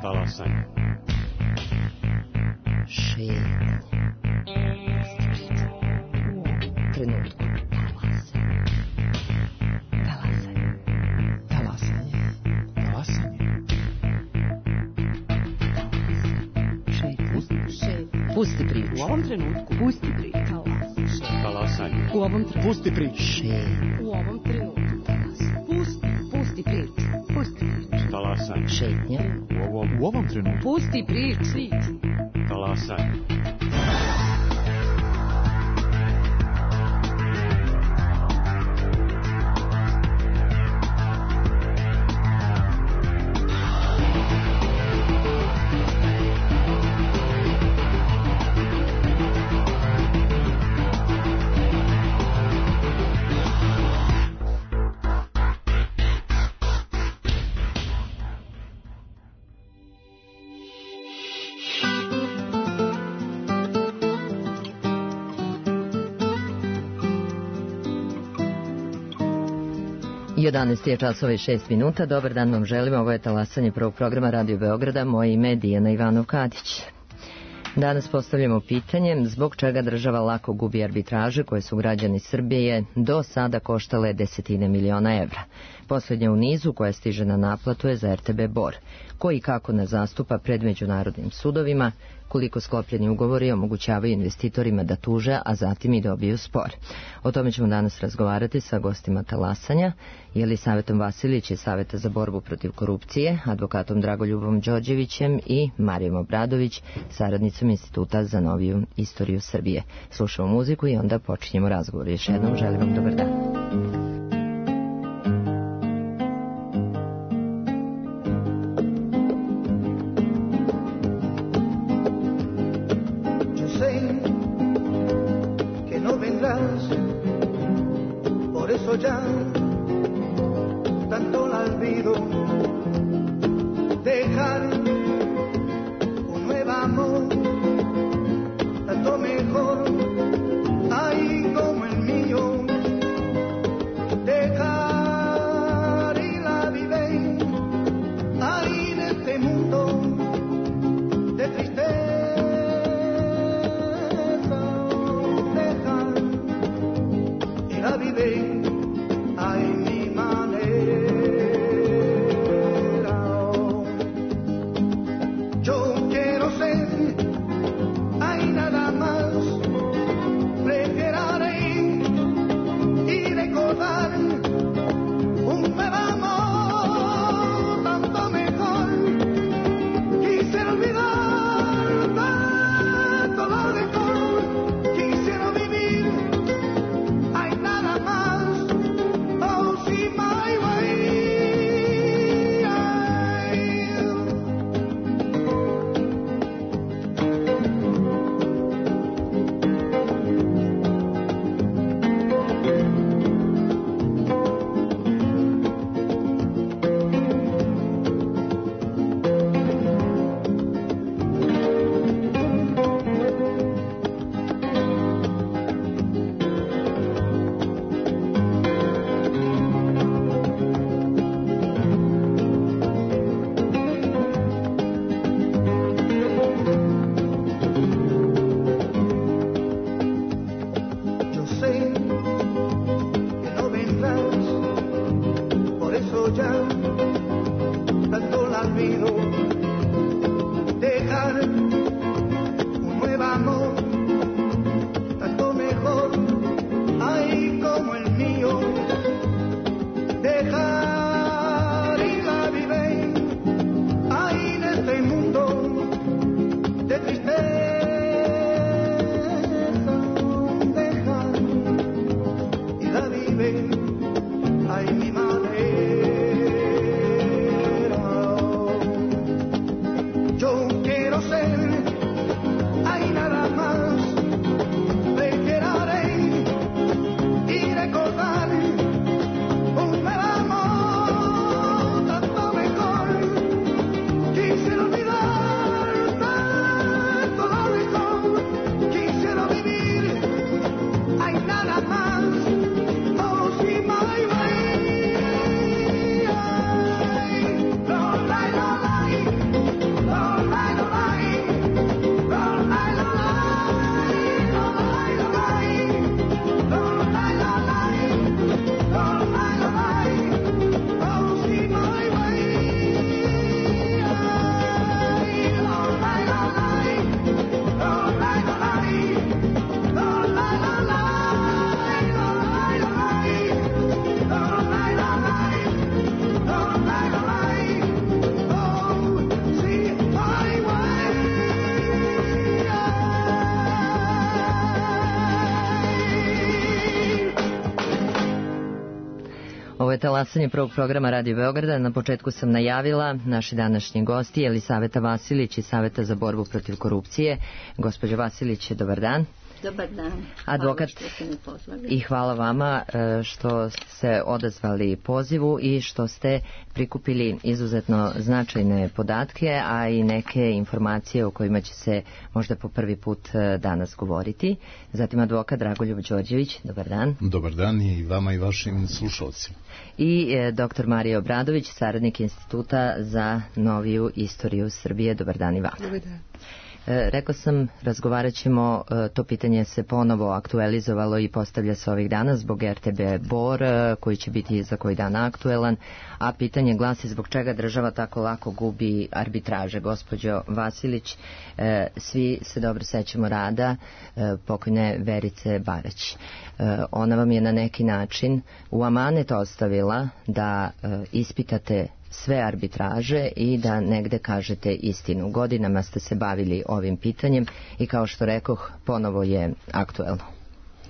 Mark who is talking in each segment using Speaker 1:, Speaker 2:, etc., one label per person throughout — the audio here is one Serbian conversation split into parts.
Speaker 1: Talasanje.
Speaker 2: Šetnje. Trenutku. Pusti priču.
Speaker 3: U ovom trenutku. Pusti priču.
Speaker 1: Talasanje.
Speaker 3: U ovom trenutku.
Speaker 4: Pusti priču.
Speaker 3: U ovom trenutku. Pusti priču. Pusti priču.
Speaker 1: Talasanje.
Speaker 2: Šetnja.
Speaker 4: U ovom trenutku.
Speaker 3: Pusti priču.
Speaker 1: Talasanje.
Speaker 2: Jedanaest je časova i 6 minuta. Dobar dan vam želim. Ovo je talasanje prvog programa Radio Beograda. Moje ime je Dijana Ivanov-Kadić. Danas postavljamo pitanje zbog čega država lako gubi arbitraže koje su građani Srbije do sada koštale desetine miliona evra. Poslednja u nizu koja stiže na naplatu je za RTB Bor, koji kako ne zastupa pred međunarodnim sudovima, koliko sklopljeni ugovori omogućavaju investitorima da tuže, a zatim i dobiju spor. O tome ćemo danas razgovarati sa gostima talasanja, Jelisavetom Vasilić iz Saveta za borbu protiv korupcije, advokatom Dragoljubom Đorđevićem i Marijom Obradović, saradnicom Instituta za noviju istoriju Srbije. Slušamo muziku i onda počinjemo razgovor. Još jednom želim vam dobar dan.
Speaker 5: Ay, mi madre.
Speaker 2: Ovo je talasanje prvog programa Radio Beograda. Na početku sam najavila naši današnji gosti Jelisaveta Vasilić iz Saveta za borbu protiv korupcije. Gospođo Vasilić, dobar dan.
Speaker 5: Dobar dan.
Speaker 2: Advokat.
Speaker 5: Hvala što ste me pozvali.
Speaker 2: I hvala vama što ste odazvali pozivu i što ste prikupili izuzetno značajne podatke, a i neke informacije o kojima će se možda po prvi put danas govoriti. Zatim advokat Dragoljub Đorđević, dobar dan.
Speaker 4: Dobar dan i vama i vašim slušalcima.
Speaker 2: I dr. Marija Obradović, saradnik Instituta za noviju istoriju Srbije, dobar dan i vama.
Speaker 3: Dobar dan.
Speaker 2: Rekao sam, razgovarat ćemo, to pitanje se ponovo aktualizovalo i postavlja se ovih dana zbog RTB Bor, koji će biti za koji dan aktuelan, a pitanje glasi zbog čega država tako lako gubi arbitraže. Gospođo Vasilić, svi se dobro sećamo rada pokojne Verice Barać. Ona vam je na neki način u amanet ostavila da ispitate sve arbitraže i da negde kažete istinu. Godinama ste se bavili ovim pitanjem i kao što rekoh, ponovo je aktuelno.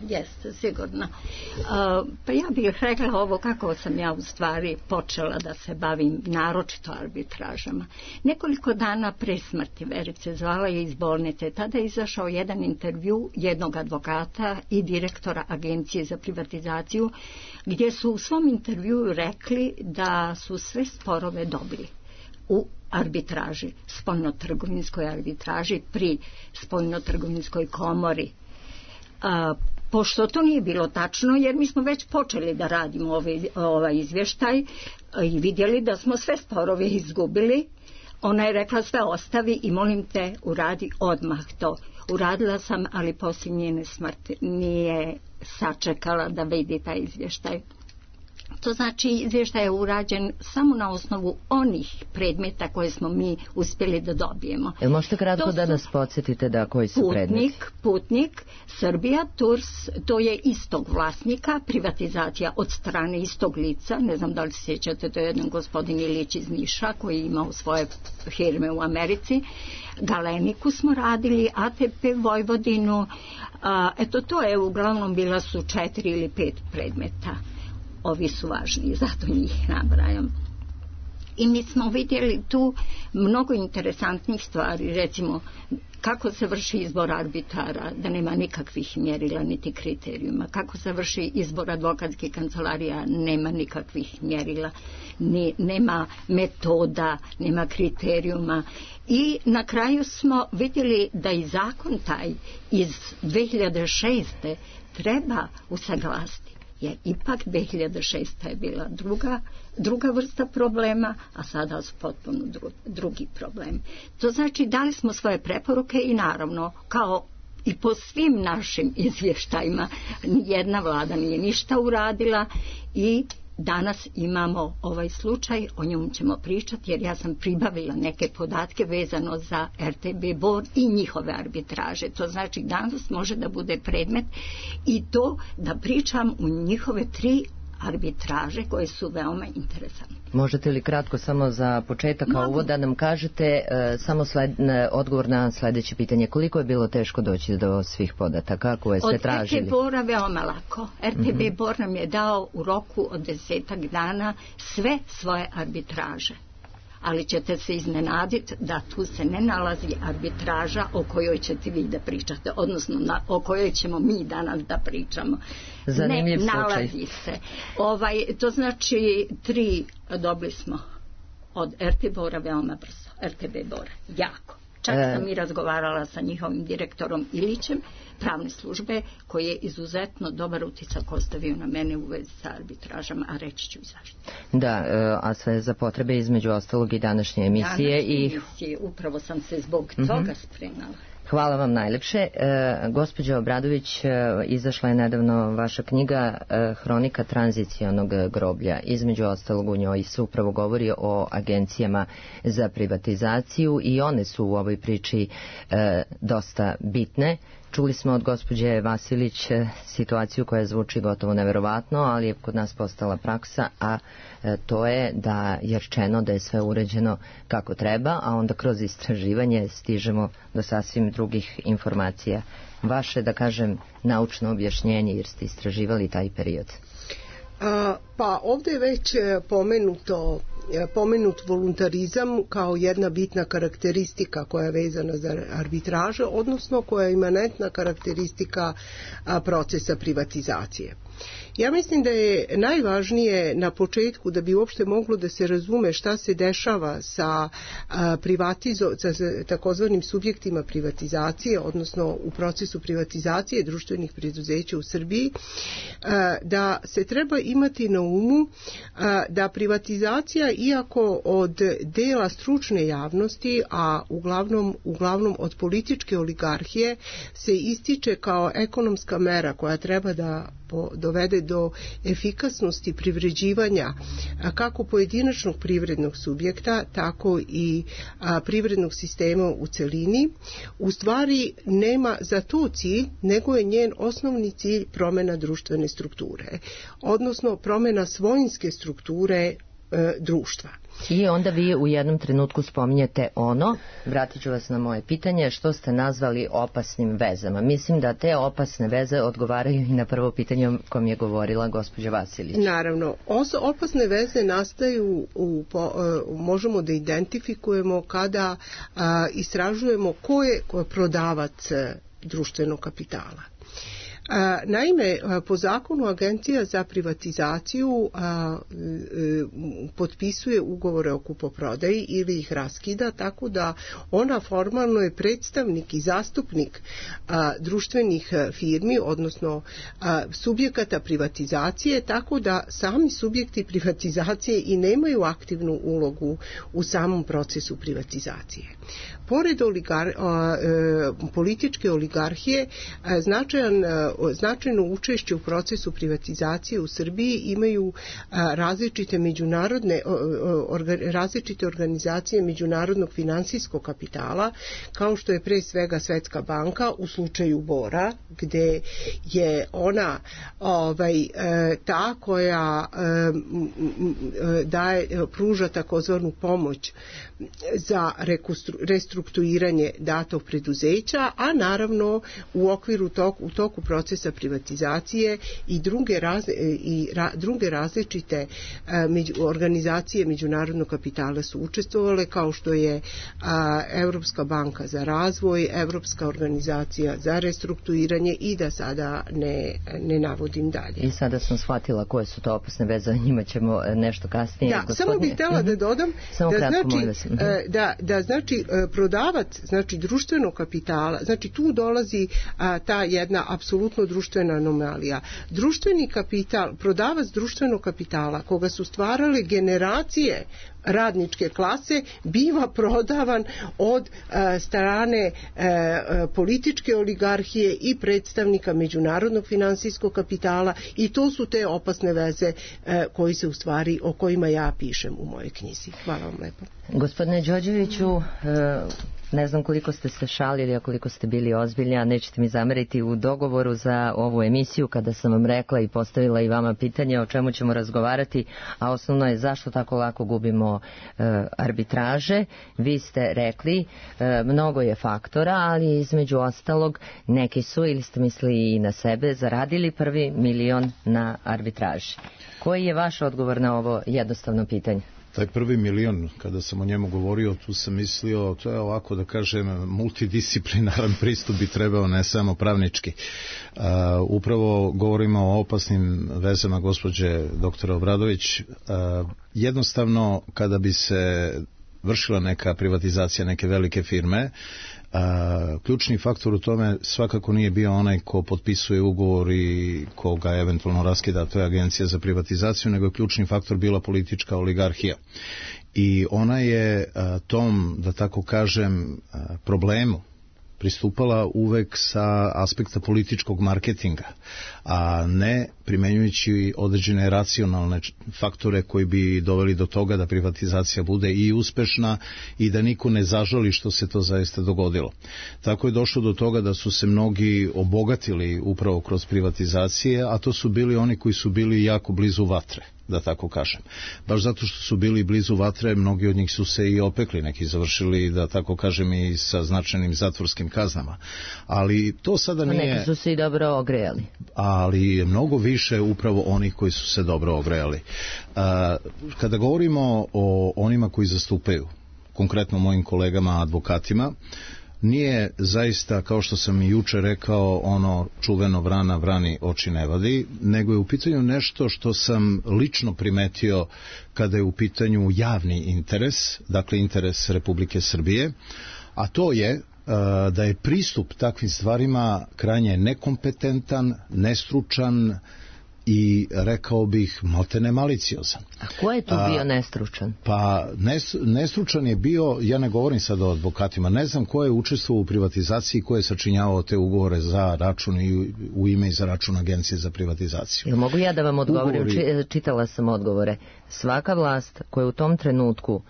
Speaker 5: Jeste, sigurno. Pa ja bih rekla ovo kako sam ja u stvari počela da se bavim naročito arbitražama. Nekoliko dana pre smrti Verice, zvala je iz bolnice. Tada je izašao jedan intervju jednog advokata i direktora Agencije za privatizaciju, gdje su u svom intervjuu rekli da su sve sporove dobili u arbitraži, spoljnotrgovinskoj arbitraži pri spoljnotrgovinskoj komori. Pošto to nije bilo tačno, jer mi smo već počeli da radimo ovaj izvještaj i vidjeli da smo sve sporove izgubili, ona je rekla sve ostavi i molim te uradi odmah to. Uradila sam, ali poslije njene smrti nije sačekala da vidi taj izvještaj. To znači izvještaj je urađen samo na osnovu onih predmeta koje smo mi uspjeli da dobijemo.
Speaker 2: Jel možete kratko da nas podsjetite da koji su predmeti?
Speaker 5: Putnik, Srbija, Tours, to je istog vlasnika, privatizacija od strane istog lica, ne znam da li se sjećate, to je jedan gospodin Ilić iz Niša koji je imao svoje firme u Americi. Galeniku smo radili, ATP Vojvodinu, eto to je uglavnom bila su 4 ili 5 predmeta. Ovi su važni, zato njih nabrajam. I mi smo vidjeli tu mnogo interesantnih stvari, recimo kako se vrši izbor arbitara, da nema nikakvih mjerila niti kriterijuma, kako se vrši izbor advokatskih kancelarija, nema nikakvih mjerila, nema metoda, nema kriterijuma. I na kraju smo vidjeli da i zakon taj iz 2006. treba usaglasiti. Jer ipak 2006. je bila druga vrsta problema, a sada su potpuno drugi problem. To znači dali smo svoje preporuke i naravno kao i po svim našim izvještajima nijedna vlada nije ništa uradila i danas imamo ovaj slučaj, o njemu ćemo pričati jer ja sam pribavila neke podatke vezano za RTB Bor i njihove arbitraže. To znači danas može da bude predmet i to da pričam u njihove 3 arbitraže koje su veoma interesantne.
Speaker 2: Možete li kratko samo za početak kao uvod da nam kažete samo odgovor na sljedeće pitanje. Koliko je bilo teško doći do svih podataka koje ste tražili?
Speaker 5: Od RTB Bora veoma lako. RTB Bor nam je dao u roku od 10 dana sve svoje arbitraže. Ali ćete se iznenaditi da tu se ne nalazi arbitraža o kojoj ćete vi da pričate, odnosno o kojoj ćemo mi danas da pričamo.
Speaker 2: Zanimljiv slučaj.
Speaker 5: Ne nalazi se. To znači 3 dobili smo od RTB Bora veoma brzo. RTB Bora, jako. Čak sam i razgovarala sa njihovim direktorom Ilićem, pravne službe, koji je izuzetno dobar utisak ostavio na mene u vezi sa arbitražama, a reći ću i zašto.
Speaker 2: Da, a sve za potrebe između ostalog i današnje emisije.
Speaker 5: Upravo sam se zbog toga spremala.
Speaker 2: Hvala vam najlepše. Gospođa Obradović, izašla je nedavno vaša knjiga Hronika tranzicionog groblja. Između ostalog u njoj se upravo govori o agencijama za privatizaciju i one su u ovoj priči dosta bitne. Čuli smo od gospođe Vasilić situaciju koja zvuči gotovo neverovatno, ali je kod nas postala praksa, a to je da je rečeno da je sve uređeno kako treba, a onda kroz istraživanje stižemo do sasvim drugih informacija. Vaše, da kažem, naučno objašnjenje, jer ste istraživali taj period.
Speaker 6: Pa ovdje je već pomenut voluntarizam kao jedna bitna karakteristika koja je vezana za arbitraže, odnosno koja je imanentna karakteristika procesa privatizacije. Ja mislim da je najvažnije na početku, da bi uopšte moglo da se razume šta se dešava sa takozvanim subjektima privatizacije, odnosno u procesu privatizacije društvenih preduzeća u Srbiji, da se treba imati na umu da privatizacija, iako od dela stručne javnosti, a uglavnom od političke oligarhije, se ističe kao ekonomska mera koja treba da dovede do efikasnosti privređivanja kako pojedinačnog privrednog subjekta, tako i privrednog sistema u celini, u stvari nema za to cilj, nego je njen osnovni cilj promjena društvene strukture, odnosno promjena svojinske strukture društva.
Speaker 2: I onda vi u jednom trenutku spominjete vratit ću vas na moje pitanje, što ste nazvali opasnim vezama. Mislim da te opasne veze odgovaraju i na prvo pitanje o kom je govorila gospođa Vasilić.
Speaker 6: Naravno, opasne veze nastaju, možemo da identifikujemo kada istražujemo ko je prodavac društvenog kapitala. Naime, po zakonu Agencija za privatizaciju potpisuje ugovore o kupoprodaji ili ih raskida, tako da ona formalno je predstavnik i zastupnik društvenih firmi, odnosno subjekata privatizacije, tako da sami subjekti privatizacije i nemaju aktivnu ulogu u samom procesu privatizacije. Pored političke oligarhije, značajno učešće u procesu privatizacije u Srbiji imaju različite organizacije međunarodnog finansijskog kapitala, kao što je pre svega Svetska banka u slučaju Bora, gde je ona ta koja pruža takozvanu pomoć za restrukturiranje datog preduzeća, a naravno u okviru u toku procesa privatizacije i druge različite organizacije međunarodnog kapitala su učestvovale, kao što je Evropska banka za razvoj, Evropska organizacija za restrukturiranje i da sada ne navodim dalje.
Speaker 2: I sada sam shvatila koje su to opasne veze, njima ćemo nešto kasnije.
Speaker 6: Da, samo bih htjela da dodam da znači prodavac društvenog kapitala, znači tu dolazi ta jedna apsolutno društvena anomalija. Društveni kapital, prodavac društvenog kapitala koga su stvarale generacije radničke klase, biva prodavan od strane političke oligarhije i predstavnika međunarodnog finansijskog kapitala, i to su te opasne veze koji se u stvari, o kojima ja pišem u mojoj knjizi. Hvala vam lepo.
Speaker 2: Gospodine Đorđeviću, ne znam koliko ste se šalili, a koliko ste bili ozbiljni, a nećete mi zameriti, u dogovoru za ovu emisiju kada sam vam rekla i postavila i vama pitanje o čemu ćemo razgovarati, a osnovno je zašto tako lako gubimo arbitraže. Vi ste rekli mnogo je faktora, ali između ostalog neki su, ili ste mislili i na sebe, zaradili prvi milion na arbitraži. Koji je vaš odgovor na ovo jednostavno pitanje?
Speaker 4: Taj prvi milion, kada sam o njemu govorio, tu sam mislio, to je ovako da kažem, multidisciplinaran pristup bi trebao, ne samo pravnički. Upravo govorimo o opasnim vezama gospođe dr. Obradović. Jednostavno, kada bi se vršila neka privatizacija neke velike firme, ključni faktor u tome svakako nije bio onaj ko potpisuje ugovor i ko ga eventualno raskida, to je Agencija za privatizaciju, nego je ključni faktor bila politička oligarhija. I ona je tom, da tako kažem, problemu pristupala uvek sa aspekta političkog marketinga, a ne primenjujući određene racionalne faktore koji bi doveli do toga da privatizacija bude i uspešna i da niko ne zažali što se to zaista dogodilo. Tako je došlo do toga da su se mnogi obogatili upravo kroz privatizacije, a to su bili oni koji su bili jako blizu vatre. da tako kažem. Baš zato što su bili blizu vatre, mnogi od njih su se i opekli, neki završili, da tako kažem, i sa značajnim zatvorskim kaznama. Ali to sada nije...
Speaker 2: Neki su se i dobro ogrejali.
Speaker 4: Ali je mnogo više upravo onih koji su se dobro ogrejali. Kada govorimo o onima koji zastupaju, konkretno mojim kolegama advokatima, nije zaista, kao što sam i juče rekao, ono čuveno vrana vrani oči ne vadi, nego je u pitanju nešto što sam lično primetio kada je u pitanju javni interes, dakle interes Republike Srbije, a to je da je pristup takvim stvarima krajnje nekompetentan, nestručan i rekao bih maltene maliciozan.
Speaker 2: A ko je tu bio nestručan?
Speaker 4: Pa nestručan je bio, ja ne govorim sad o advokatima, ne znam ko je učestvovao u privatizaciji, ko je sačinjavao te ugovore za račun i u ime i za račun Agencije za privatizaciju.
Speaker 2: Jel mogu ja da vam odgovorim? Čitala sam odgovore. Svaka vlast koja u tom trenutku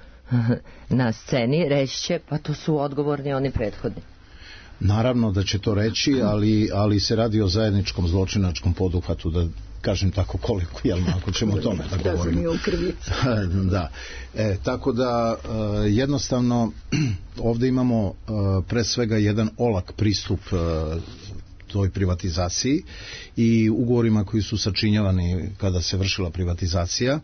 Speaker 2: na sceni reći će, pa to su odgovorni oni prethodni.
Speaker 4: Naravno da će to reći, ali se radi o zajedničkom zločinačkom poduhvatu, da kažem tako kolokvijalno, ako ćemo o tome da govorimo. Da. Tako da jednostavno ovdje imamo pre svega jedan olak pristup toj privatizaciji i ugovorima koji su sačinjavani kada se vršila privatizacija.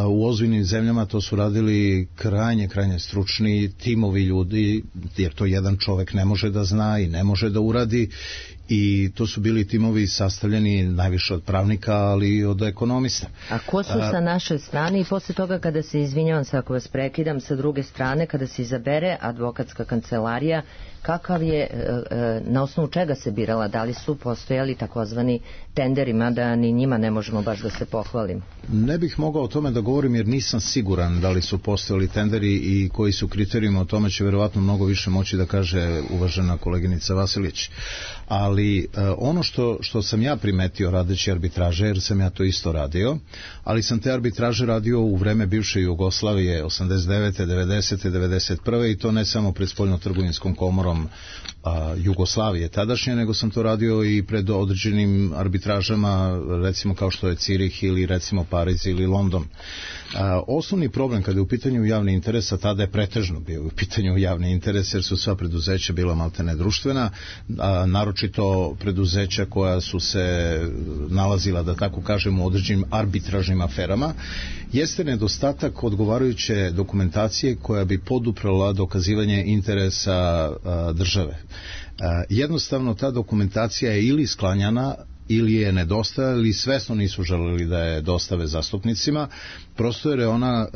Speaker 4: U ozbiljnim zemljama to su radili krajnje stručni timovi ljudi, jer to jedan čovek ne može da zna i ne može da uradi, i to su bili timovi sastavljeni najviše od pravnika, ali i od ekonomista.
Speaker 2: A ko su sa naše strane i posle toga, kada se, izvinjavam se ako vas prekidam, sa druge strane kada se izabere advokatska kancelarija, kakav je, na osnovu čega se birala, da li su postojali takozvani tenderima, da ni njima ne možemo baš da se pohvalim?
Speaker 4: Ne bih mogao o tome da govorim jer nisam siguran da li su postojali tenderi i koji su kriterijumi, o tome će verovatno mnogo više moći da kaže uvažena koleginica Vasilić. Ali ono što sam ja primetio radeći arbitraže, jer sam ja to isto radio, ali sam te arbitraže radio u vreme bivše Jugoslavije 89. 90. 91. i to ne samo pred spoljno-trgovinskom komorom Jugoslavije tadašnje, nego sam to radio i pred određenim arbitražama, recimo kao što je Cirih ili recimo Pariz ili London. Osnovni problem kada je u pitanju javni interes, a tada je pretežno bio u pitanju javni interes, jer su sva preduzeća bila maltene društvena, naročito preduzeća koja su se nalazila, da tako kažemo, u određenim arbitražnim aferama, jeste nedostatak odgovarajuće dokumentacije koja bi poduprala dokazivanje interesa države. Jednostavno ta dokumentacija je ili sklanjana ili je nedostajala ili svesno nisu želeli da je dostave zastupnicima, prosto jer je ona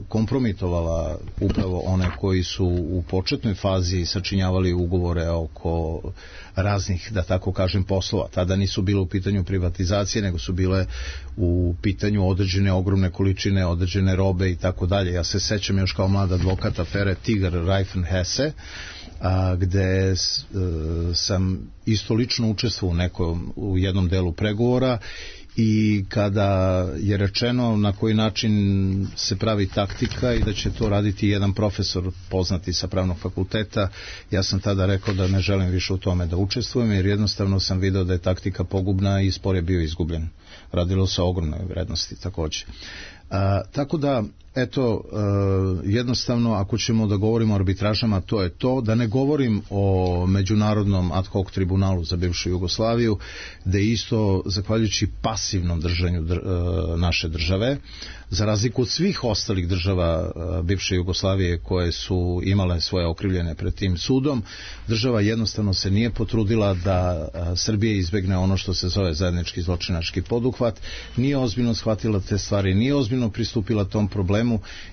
Speaker 4: kompromitovala upravo one koji su u početnoj fazi sačinjavali ugovore oko raznih, da tako kažem, poslova. Tada nisu bile u pitanju privatizacije, nego su bile u pitanju određene ogromne količine, određene robe i tako dalje. Ja se sećam još kao mlad advokat afere Tigar Reifen Hesse, gde sam isto lično učestvovao u jednom delu pregovora, i kada je rečeno na koji način se pravi taktika i da će to raditi jedan profesor poznati sa pravnog fakulteta, ja sam tada rekao da ne želim više u tome da učestvujem, jer jednostavno sam video da je taktika pogubna i spor je bio izgubljen. Radilo se o ogromnoj vrednosti takođe. Tako da, eto, jednostavno, ako ćemo da govorimo o arbitražama, to je to. Da ne govorim o međunarodnom ad hoc tribunalu za bivšu Jugoslaviju, gde isto, zahvaljujući pasivnom držanju naše države, za razliku od svih ostalih država bivše Jugoslavije koje su imale svoje okrivljene pred tim sudom, država jednostavno se nije potrudila da Srbija izbegne ono što se zove zajednički zločinački poduhvat, nije ozbiljno shvatila te stvari, nije ozbiljno pristupila tom problemu,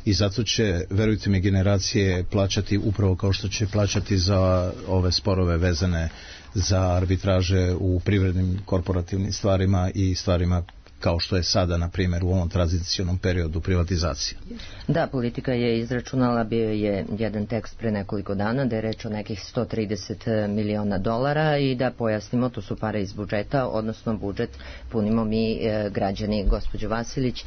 Speaker 4: i zato će, verujte mi, generacije plaćati upravo kao što će plaćati za ove sporove vezane za arbitraže u privrednim korporativnim stvarima i stvarima kao što je sada, na primjer, u ovom tranzicionom periodu privatizacije.
Speaker 2: Da, Politika je izračunala, bio je jedan tekst pre nekoliko dana da je reč o nekih 130 miliona dolara, i da pojasnimo, to su pare iz budžeta, odnosno budžet punimo mi građani. Gospođo Vasilić,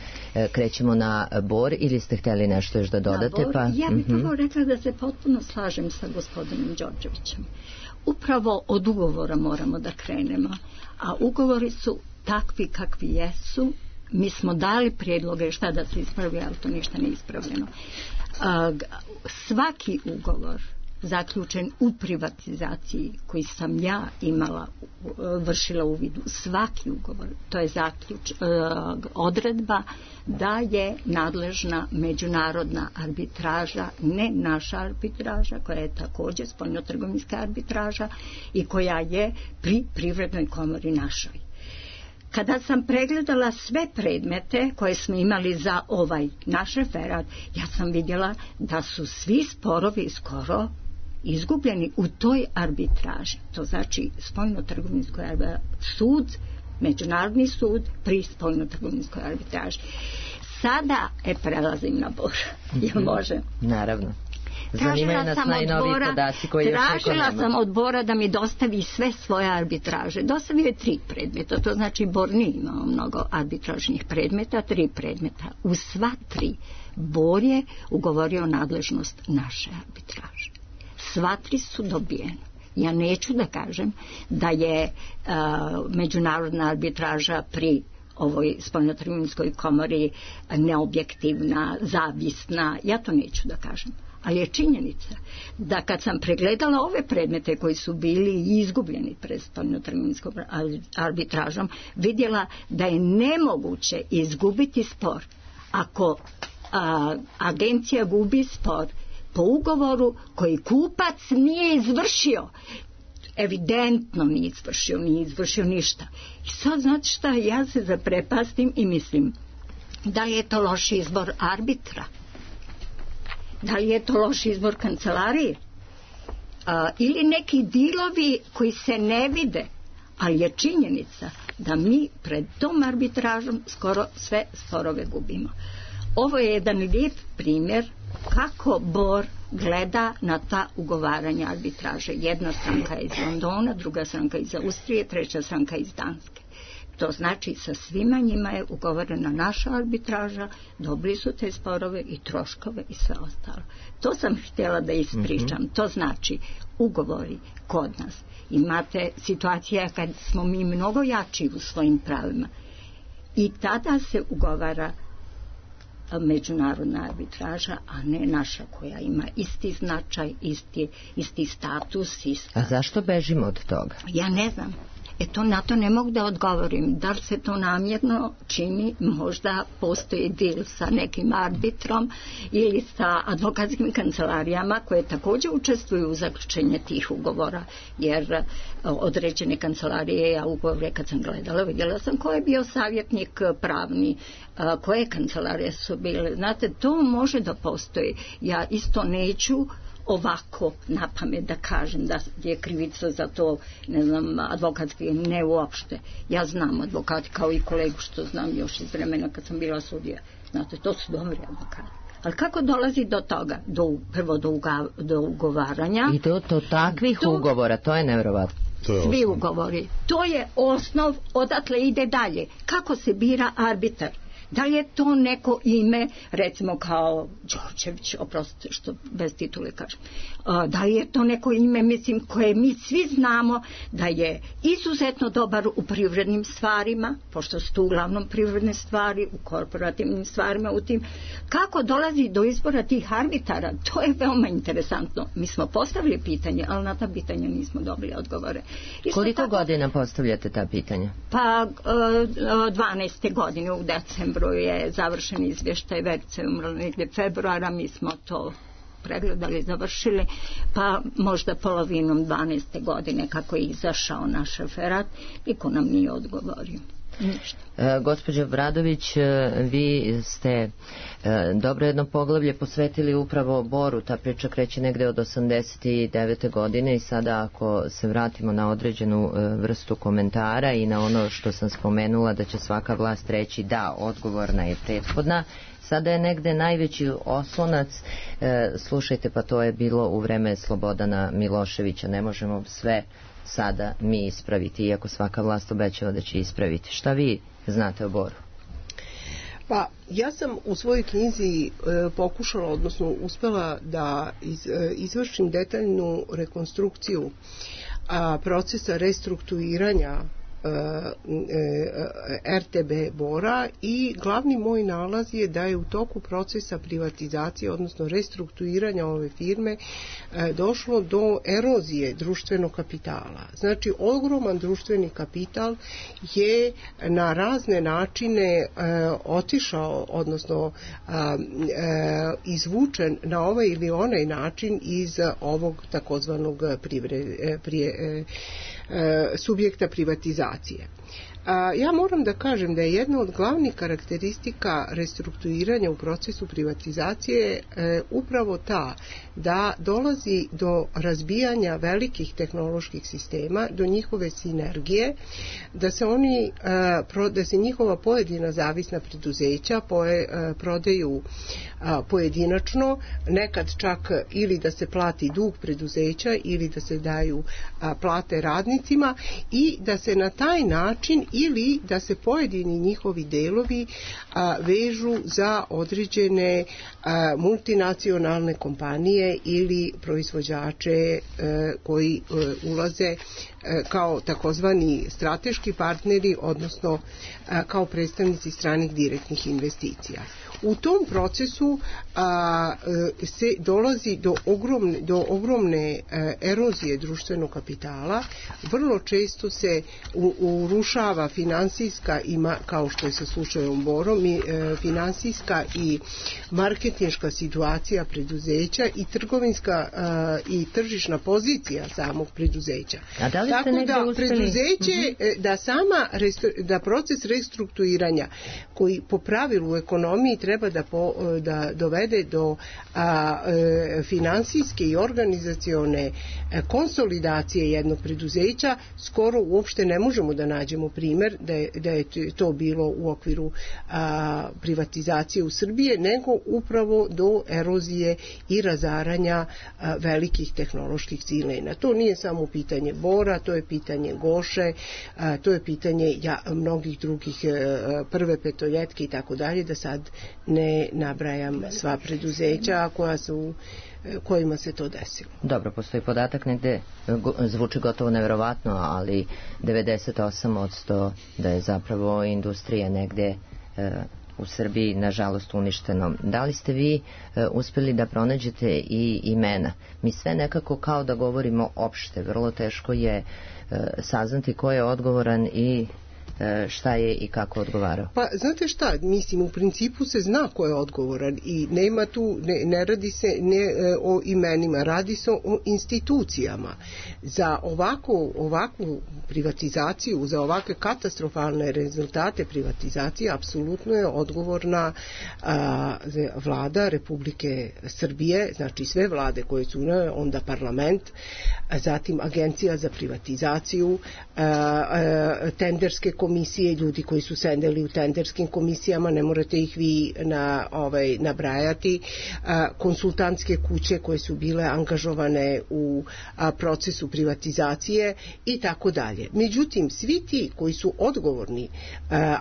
Speaker 2: krećemo na Bor, ili ste hteli nešto još da dodate?
Speaker 5: Ja bih prvo rekla da se potpuno slažem sa gospodinom Đorđevićem. Upravo od ugovora moramo da krenemo, a ugovori su takvi kakvi jesu, mi smo dali prijedloge šta da se ispravi, ali to ništa nije ispravljeno. Svaki ugovor zaključen u privatizaciji koji sam ja vršila u vidu, svaki ugovor, to je odredba da je nadležna međunarodna arbitraža, ne naša arbitraža koja je također spoljnotrgovinska arbitraža i koja je pri Privrednoj komori našoj. Kada sam pregledala sve predmete koje smo imali za ovaj naš referat, ja sam vidjela da su svi sporovi skoro izgubljeni u toj arbitraži. To znači spoljnotrgovinskoj sud, međunarodni sud pri spoljnotrgovinskoj arbitraži. Sada prelazim na Bor. Jel može?
Speaker 2: Naravno. Zanimaju nas najnoviji podaci koji još neko nema.
Speaker 5: Tražila sam od Bora da mi dostavi sve svoje arbitraže. Dostavio je 3 predmeta. To znači Bor nije imao mnogo arbitražnih predmeta, 3 predmeta. U sva 3 Bor je ugovorio nadležnost naše arbitraže. Sva 3 su dobijene. Ja neću da kažem da je međunarodna arbitraža pri ovoj spoljnotrgovinskoj komori neobjektivna, zavisna. Ja to neću da kažem. Ali je činjenica da kad sam pregledala ove predmete koji su bili izgubljeni pred spoljnotrgovinskom arbitražom, vidjela da je nemoguće izgubiti spor ako agencija gubi spor po ugovoru koji kupac nije izvršio. Evidentno nije izvršio ništa. I sad znate šta, ja se zaprepastim i mislim, da li je to loš izbor arbitra? Da li je to loš izbor kancelarije? Ili neki dilovi koji se ne vide, ali je činjenica da mi pred tom arbitražom skoro sve sporove gubimo. Ovo je jedan lijep primjer kako Bor gleda na ta ugovaranja arbitraže. Jedna stranka je iz Londona, druga stranka iz Austrije, treća stranka iz Danske. To znači sa svima njima je ugovorena naša arbitraža, dobili su te sporove i troškove i sve ostalo. To sam htjela da ispričam. To znači ugovori kod nas. Imate situacija kad smo mi mnogo jači u svojim pravima i tada se ugovara međunarodna arbitraža, a ne naša koja ima isti značaj, isti status.
Speaker 2: A zašto bežimo od toga?
Speaker 5: Ja ne znam. Na to ne mogu da odgovorim. Da li se to namjerno čini? Možda postoji deal sa nekim arbitrom ili sa advokatskim kancelarijama koje također učestvuju u zaključenju tih ugovora, jer određene kancelarije, ja ugovore kad sam gledala, vidjela sam ko je bio savjetnik pravni, koje kancelarije su bile. Znate, to može da postoji. Ja isto neću ovako na pamet da kažem da je krivica za to, ne znam, advokatski, ne uopšte. Ja znam advokati kao i kolegu što znam još iz vremena kad sam bila sudija. Znate, to su dobri advokati. Ali kako dolazi do toga? Prvo do ugovaranja.
Speaker 2: I do takvih ugovora, to je nevjerovatno.
Speaker 5: Svi ugovori. To je osnov, odatle ide dalje. Kako se bira arbitar? Da li je to neko ime, recimo kao Đorđević, oprostite što bez titule kažem, da li je to neko ime, mislim, koje mi svi znamo da je izuzetno dobar u privrednim stvarima, pošto su tu uglavnom privredne stvari, u korporativnim stvarima, u tim. Kako dolazi do izbora tih arbitara? To je veoma interesantno. Mi smo postavili pitanje, ali na ta pitanja nismo dobili odgovore.
Speaker 2: Koliko godina postavljate ta pitanja?
Speaker 5: Pa 12. godine u decembru je završen izvještaj, Verica je umrla negdje februara, mi smo to pregledali, završili, pa možda polovinom 12. godine kako je izašao naš referat, niko nam nije odgovorio.
Speaker 2: Gospođo Bradović, vi ste dobro jedno poglavlje posvetili upravo Boru. Ta priča kreće negde od 89. godine i sada ako se vratimo na određenu vrstu komentara i na ono što sam spomenula da će svaka vlast reći da, odgovorna je prethodna, sada je negde najveći oslonac, slušajte, pa to je bilo u vreme Slobodana Miloševića, ne možemo sve sada mi ispraviti, iako svaka vlast obećava da će ispraviti. Šta vi znate o Boru?
Speaker 6: Pa ja sam u svojoj knjizi pokušala, odnosno uspjela da izvršim detaljnu rekonstrukciju procesa restrukturiranja RTB Bora i glavni moj nalaz je da je u toku procesa privatizacije, odnosno restrukturiranja ove firme, došlo do erozije društvenog kapitala. Znači, ogroman društveni kapital je na razne načine otišao, odnosno izvučen na ovaj ili onaj način iz ovog takozvanog subjekta privatizacije. Ja moram da kažem da je jedna od glavnih karakteristika restrukturiranja u procesu privatizacije upravo ta da dolazi do razbijanja velikih tehnoloških sistema, do njihove sinergije, da se njihova pojedina zavisna preduzeća prodaju pojedinačno, nekad čak ili da se plati dug preduzeća ili da se daju plate radnicima i da se na taj način ili da se pojedini njihovi delovi vežu za određene multinacionalne kompanije ili proizvođače koji ulaze kao takozvani strateški partneri, odnosno kao predstavnici stranih direktnih investicija. U tom procesu se dolazi do ogromne erozije društvenog kapitala. Vrlo često se urušava finansijska, kao što je sa slučajem Borom, finansijska i marketinška situacija preduzeća i trgovinska i tržišna pozicija samog preduzeća. Tako da preduzeće, da proces restrukturiranja koji po pravilu u ekonomiji treba da dovede do finansijske i organizacione konsolidacije jednog preduzeća, skoro uopšte ne možemo da nađemo primer da je to bilo u okviru privatizacije u Srbiji, nego upravo do erozije i razaranja velikih tehnoloških silena. To nije samo pitanje Bora, to je pitanje Goše, to je pitanje mnogih drugih, Prve petoljetke i tako dalje, da sad ne nabrajam sva preduzeća kojima se to desilo.
Speaker 2: Dobro, postoji podatak negde, zvuči gotovo neverovatno, ali 98% da je zapravo industrija negde u Srbiji nažalost uništeno. Da li ste vi uspeli da pronađete i imena? Mi sve nekako kao da govorimo opšte, vrlo teško je saznati ko je odgovoran i šta je i kako odgovarao.
Speaker 6: Pa znate šta, mislim, u principu se zna ko je odgovoran i nema tu, ne radi se o imenima, radi se o institucijama. Za ovakvu privatizaciju, za ovakve katastrofalne rezultate privatizacije apsolutno je odgovorna vlada Republike Srbije, znači sve vlade koje su onda parlament, zatim Agencija za privatizaciju, tenderske komisije, ljudi koji su sedeli u tenderskim komisijama, ne morate ih vi nabrajati, konsultantske kuće koje su bile angažovane u procesu privatizacije i tako dalje. Međutim, svi ti koji su odgovorni,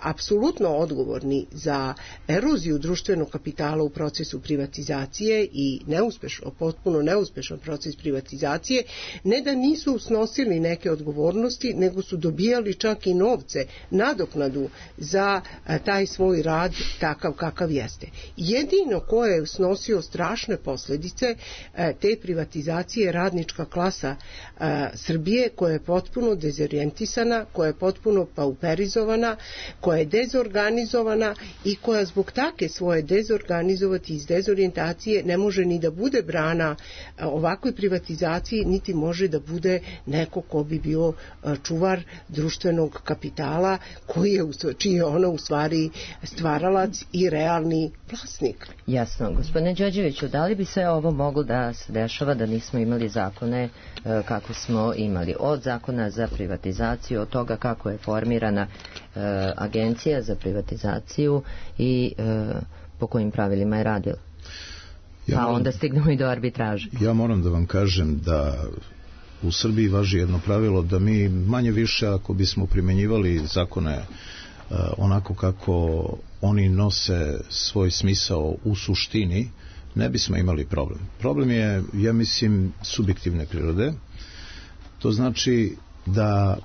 Speaker 6: apsolutno odgovorni za eroziju društvenog kapitala u procesu privatizacije i potpuno neuspešan proces privatizacije, ne da nisu snosili neke odgovornosti, nego su dobijali čak i novce, nadoknadu za taj svoj rad takav kakav jeste. Jedino ko je snosio strašne posljedice te privatizacije je radnička klasa Srbije, koja je potpuno dezorijentisana, koja je potpuno pauperizovana, koja je dezorganizovana i koja zbog take svoje dezorganizovati iz dezorijentacije ne može ni da bude brana ovakvoj privatizaciji, niti može da bude neko ko bi bio čuvar društvenog kapitala čiji je ona u stvari stvaralac i realni vlasnik.
Speaker 2: Jasno. Gospodine Đorđeviću, da li bi sve ovo moglo da se dešava da nismo imali zakone kako smo imali? Od zakona za privatizaciju, od toga kako je formirana Agencija za privatizaciju i po kojim pravilima je radila? Pa onda stignemo i do arbitraže.
Speaker 4: Ja moram da vam kažem da u Srbiji važi jedno pravilo da mi manje više, ako bismo primenjivali zakone onako kako oni nose svoj smisao u suštini, ne bismo imali problem. Problem je, ja mislim, subjektivne prirode. To znači da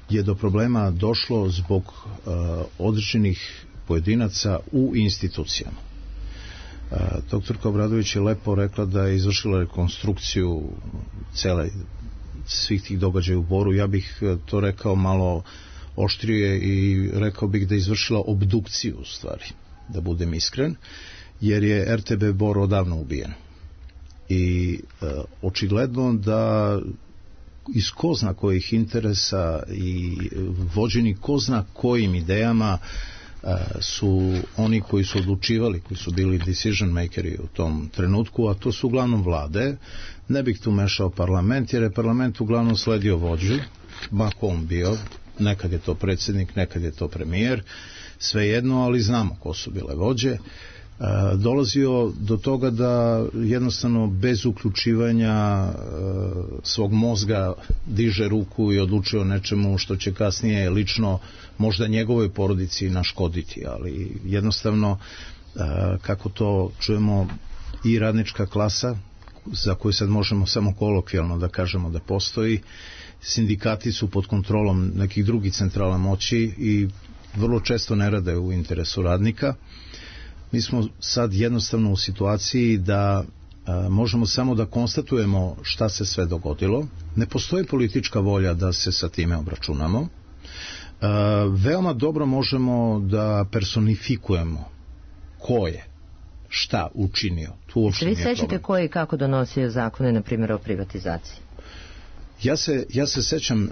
Speaker 4: je do problema došlo zbog određenih pojedinaca u institucijama. Doktorka Obradović je lepo rekla da je izvršila rekonstrukciju svih tih događaja u Boru. Ja bih to rekao malo oštrije i rekao bih da je izvršila obdukciju u stvari, da budem iskren, jer je RTB Bor odavno ubijen. I očigledno da iz ko zna kojih interesa i vođeni ko zna kojim idejama su oni koji su odlučivali, koji su bili decision makeri u tom trenutku, a to su uglavnom vlade. Ne bih tu mešao parlament, jer je parlament uglavnom sledio vođu, ma ko on bio, nekad je to predsjednik, nekad je to premijer, svejedno, ali znamo ko su bile vođe. Dolazio do toga da jednostavno bez uključivanja svog mozga diže ruku i odlučuje o nečemu što će kasnije lično možda njegovoj porodici naškoditi, ali jednostavno kako to čujemo i radnička klasa, za koju sad možemo samo kolokvijalno da kažemo da postoji, sindikati su pod kontrolom nekih drugih centrala moći i vrlo često ne rade u interesu radnika. Mi smo sad jednostavno u situaciji da možemo samo da konstatujemo šta se sve dogodilo. Ne postoji politička volja da se sa time obračunamo. Veoma dobro možemo da personifikujemo ko je šta učinio. Tu uopšte nije problem.
Speaker 2: Vi sećate ko je i kako donosio zakone, na primjer, o privatizaciji?
Speaker 4: Ja se sećam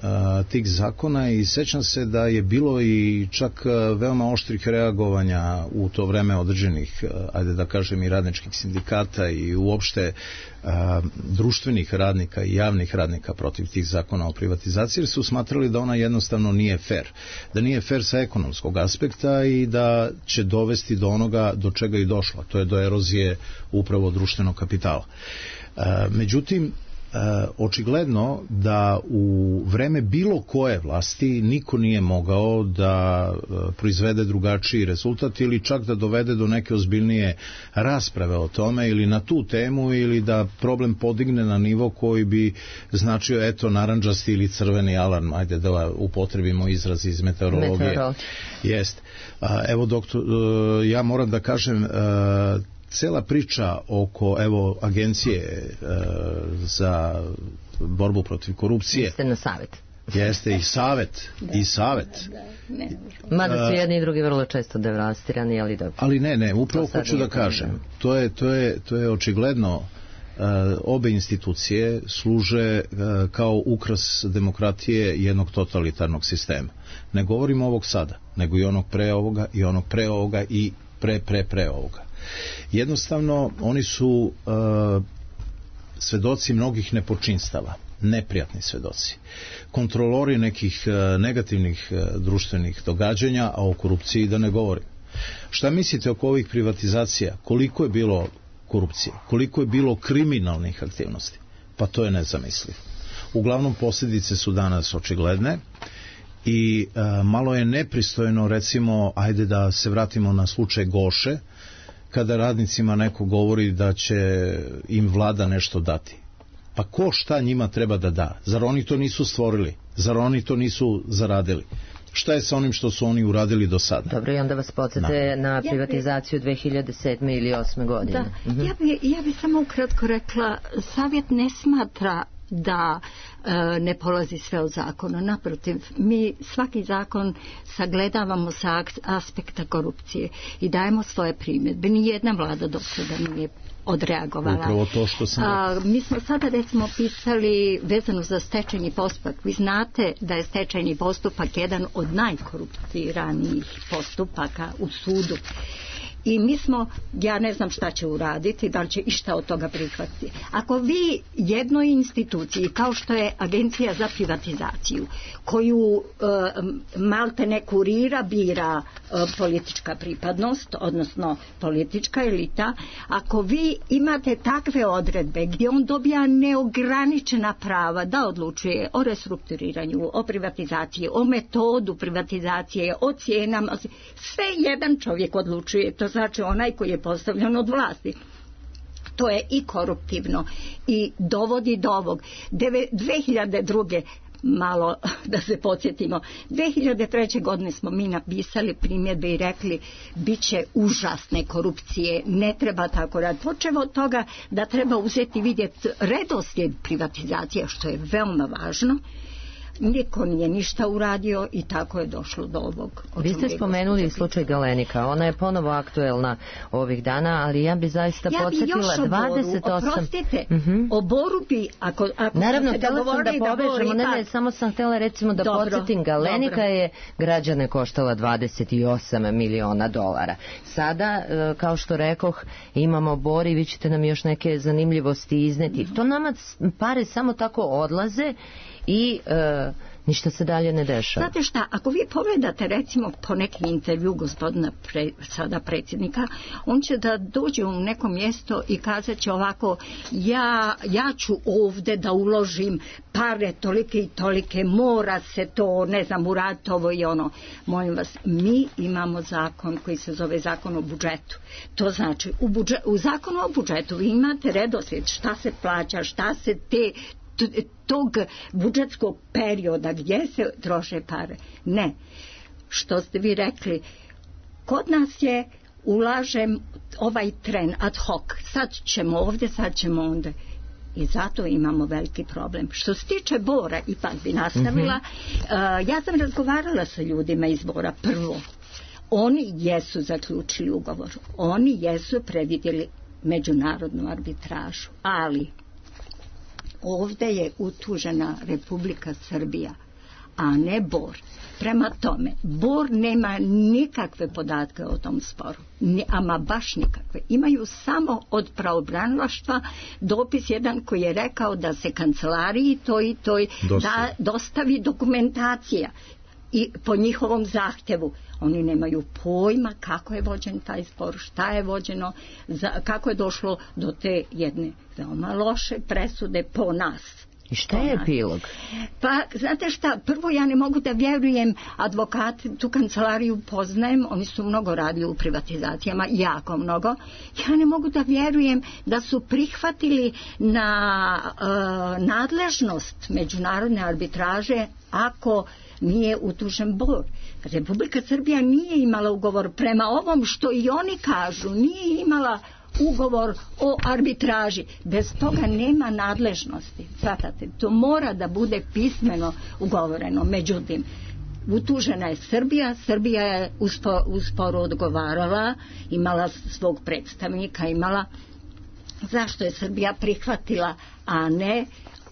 Speaker 4: tih zakona i sećam se da je bilo i čak veoma oštrih reagovanja u to vreme određenih, ajde da kažem, i radničkih sindikata i uopšte društvenih radnika i javnih radnika protiv tih zakona o privatizaciji, jer su smatrali da ona jednostavno nije fair. Da nije fair sa ekonomskog aspekta i da će dovesti do onoga do čega i došlo. To je do erozije upravo društvenog kapitala. Međutim, očigledno da u vreme bilo koje vlasti niko nije mogao da proizvede drugačiji rezultat ili čak da dovede do neke ozbiljnije rasprave o tome ili na tu temu ili da problem podigne na nivo koji bi značio eto narandžasti ili crveni alarm, ajde da upotrebimo izraz iz meteorologije. Jest. Evo doktor, ja moram da kažem, cela priča oko agencije za borbu protiv korupcije.
Speaker 2: Jeste na savjet.
Speaker 4: Jeste i savjet. I savjet.
Speaker 2: Mada su jedni i drugi vrlo često devastirani, ali dobro.
Speaker 4: Ali ne, upravo hoću da kažem. To je očigledno, obe institucije služe kao ukras demokratije jednog totalitarnog sistema. Ne govorimo ovog sada, nego i onog pre ovoga i onog pre ovoga i pre ovoga. Jednostavno, oni su svedoci mnogih nepočinstava, neprijatni svedoci, kontrolori nekih negativnih društvenih događanja, a o korupciji da ne govorim. Šta mislite oko ovih privatizacija? Koliko je bilo korupcije? Koliko je bilo kriminalnih aktivnosti? Pa to je nezamislivo. Uglavnom, posljedice su danas očigledne i malo je nepristojno, recimo, ajde da se vratimo na slučaj Goše, kada radnicima neko govori da će im vlada nešto dati. Pa ko šta njima treba da da? Zar oni to nisu stvorili? Zar oni to nisu zaradili? Šta je sa onim što su oni uradili do sada?
Speaker 2: Dobro, i onda vas podsjete na privatizaciju 2007. ili 2008. godine.
Speaker 5: Da, ja bi samo ukratko rekla, savjet ne smatra da ne polazi sve od zakona. Naprotiv, mi svaki zakon sagledavamo sa aspekta korupcije i dajemo svoje primjedbe. Nijedna vlada do sada nije odreagovala.
Speaker 4: Upravo to što sam
Speaker 5: mi smo sada recimo pisali vezano za stečajni postupak. Vi znate da je stečajni postupak jedan od najkoruptiranijih postupaka u sudu. I mi smo, ja ne znam šta će uraditi, da li će išta od toga prihvatiti. Ako vi jednoj instituciji, kao što je Agencija za privatizaciju, koju malte ne kurira, bira politička pripadnost, odnosno politička elita, ako vi imate takve odredbe gdje on dobija neograničena prava da odlučuje o restrukturiranju, o privatizaciji, o metodu privatizacije, o cijenama, sve jedan čovjek odlučuje, to znači onaj koji je postavljen od vlasti. To je i koruptivno i dovodi do ovog. 2002. malo da se podsjetimo. 2003. godine smo mi napisali primjedbe i rekli bit će užasne korupcije, ne treba tako raditi. Počevo od toga da treba uzeti vidjeti redoslijed privatizacije, što je veoma važno. Niko nije ništa uradio i tako je došlo do ovog.
Speaker 2: Vi ste spomenuli slučaj Galenika, ona je ponovo aktuelna ovih dana, ali ja bi zaista podsjetila 28...
Speaker 5: Oprostite, o Boru bi, ako
Speaker 2: naravno, htjela sam da povežemo, ne, samo sam htjela recimo da podsjetim, Galenika je građane koštala $28 miliona. Sada, kao što rekoh, imamo Bor i vi ćete nam još neke zanimljivosti izneti. To nama pare samo tako odlaze i ništa se dalje ne dešava.
Speaker 5: Znate šta, ako vi pogledate recimo po nekim intervju gospodina sada predsjednika, on će da dođe u neko mjesto i kazat će ovako, ja ću ovdje da uložim pare tolike i tolike, mora se to, ne znam, uraditi ovo i ono. Molim vas, mi imamo zakon koji se zove zakon o budžetu. To znači, u zakonu o budžetu vi imate redoslijed šta se plaća, šta se tog budžetskog perioda gdje se troše pare. Ne. Što ste vi rekli, kod nas je ulažem ovaj tren ad hoc. Sad ćemo ovdje, sad ćemo onda. I zato imamo veliki problem. Što se tiče Bora, ipak bi nastavila, ja sam razgovarala sa ljudima iz Bora. Prvo, oni jesu zaključili ugovor. Oni jesu predvidjeli međunarodnu arbitražu. Ali ovdje je utužena Republika Srbija, a ne Bor. Prema tome, Bor nema nikakve podatke o tom sporu. Ama baš nikakve. Imaju samo od pravobranilaštva dopis jedan koji je rekao da se kancelariji toj da dostavi dokumentacija i po njihovom zahtjevu. Oni nemaju pojma kako je vođen taj spor, šta je vođeno, kako je došlo do te jedne veoma loše presude po nas.
Speaker 2: I šta je epilog?
Speaker 5: Pa, znate šta, prvo ja ne mogu da vjerujem, advokati, tu kancelariju poznajem, oni su mnogo radili u privatizacijama, jako mnogo. Ja ne mogu da vjerujem da su prihvatili na nadležnost međunarodne arbitraže ako nije utužen Bor. Republika Srbija nije imala ugovor prema ovom što i oni kažu, nije imala ugovor o arbitraži. Bez toga nema nadležnosti. Svatate, to mora da bude pismeno ugovoreno. Međutim, utužena je Srbija. Srbija je u sporu odgovarala, imala svog predstavnika, zašto je Srbija prihvatila, a ne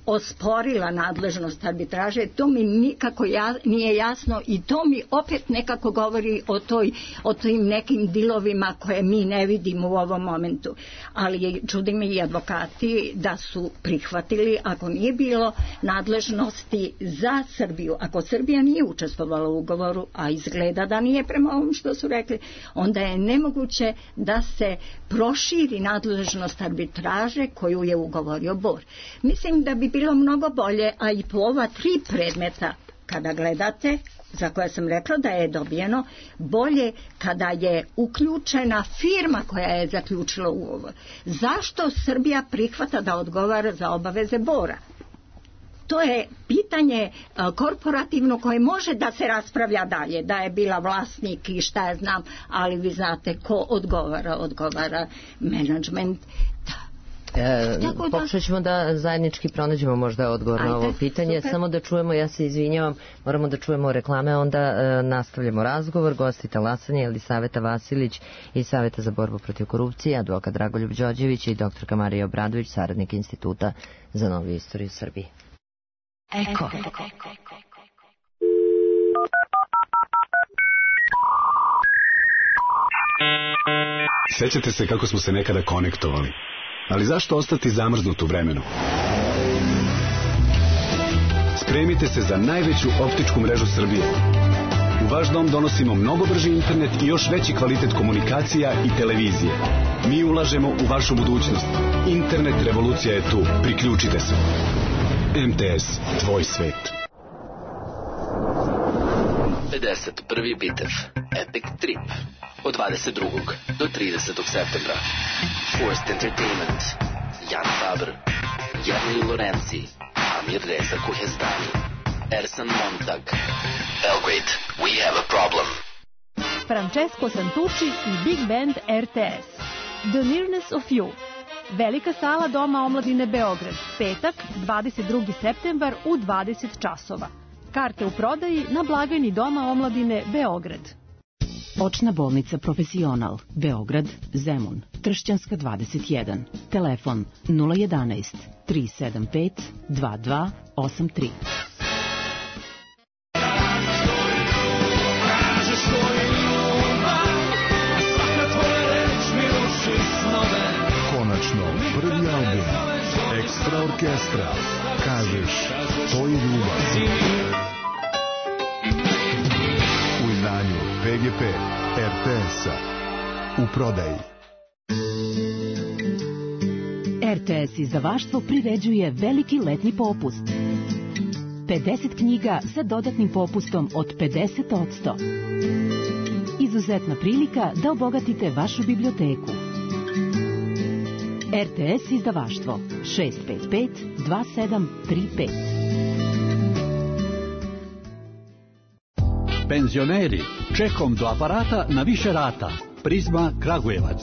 Speaker 5: osporila nadležnost arbitraže, to mi nikako nije jasno i to mi opet nekako govori o tim nekim dilovima koje mi ne vidimo u ovom momentu. Ali čudi me i advokati da su prihvatili, ako nije bilo nadležnosti za Srbiju, ako Srbija nije učestvovala u ugovoru, a izgleda da nije prema ovom što su rekli, onda je nemoguće da se proširi nadležnost arbitraže koju je ugovorio Bor. Mislim da bi bilo mnogo bolje, a i po ova 3 predmeta kada gledate, za koje sam rekla da je dobijeno, bolje kada je uključena firma koja je zaključila ugovor. Zašto Srbija prihvata da odgovara za obaveze Bora? To je pitanje korporativno koje može da se raspravlja dalje, da je bila vlasnik i šta ja znam, ali vi znate ko odgovara menadžment.
Speaker 2: Pokušat ćemo da zajednički pronađemo možda odgovor na ovo pitanje. Super. Samo da čujemo, ja se izvinjavam, moramo da čujemo reklame, onda nastavljamo razgovor. Gosti talasanja Jelisaveta Vasilić iz Saveta za borbu protiv korupcije, advokat Dragoljub Đorđević i doktorka Marija Obradović, saradnik Instituta za noviju istoriju Srbije. Eko.
Speaker 7: Sećate se kako smo se nekada konektovali? Ali zašto ostati zamrznut u vremenu? Spremite se za najveću optičku mrežu Srbije. U vaš dom donosimo mnogo brži internet i još veći kvalitet komunikacija i televizije. Mi ulažemo u vašu budućnost. Internet revolucija je tu. Priključite se. MTS, tvoj svet.
Speaker 8: 51. bitev Epic Trip od 22. do 30. septembra. Forced Entertainment, Jan Faber, Jernej Lorenzi, Amir Reza Kuhestani. Ersan Montag. Belgrade, we have a problem.
Speaker 9: Francesco Santucci i Big Band RTS. The Nearness of You. Velika sala Doma omladine Beograd. Petak, 22. septembar u 20 časova. Karte u prodaji na blagajni Doma omladine Beograd.
Speaker 10: Očna bolnica Profesional, Beograd, Zemun, Tršćanska 21. Telefon 011 375 2283.
Speaker 11: Konačno, prvi album Ekstra orkestra. Kažeš, to je ljubav. U izdanju PGP RTS-a. U prodaji.
Speaker 10: RTS izdavaštvo priređuje veliki letnji popust. 50 knjiga sa dodatnim popustom od 50%. Izuzetna prilika da obogatite vašu biblioteku. RTS izdavaštvo 655 2735.
Speaker 12: Penzioneri, čekom do aparata na više rata. Prizma Kragujevac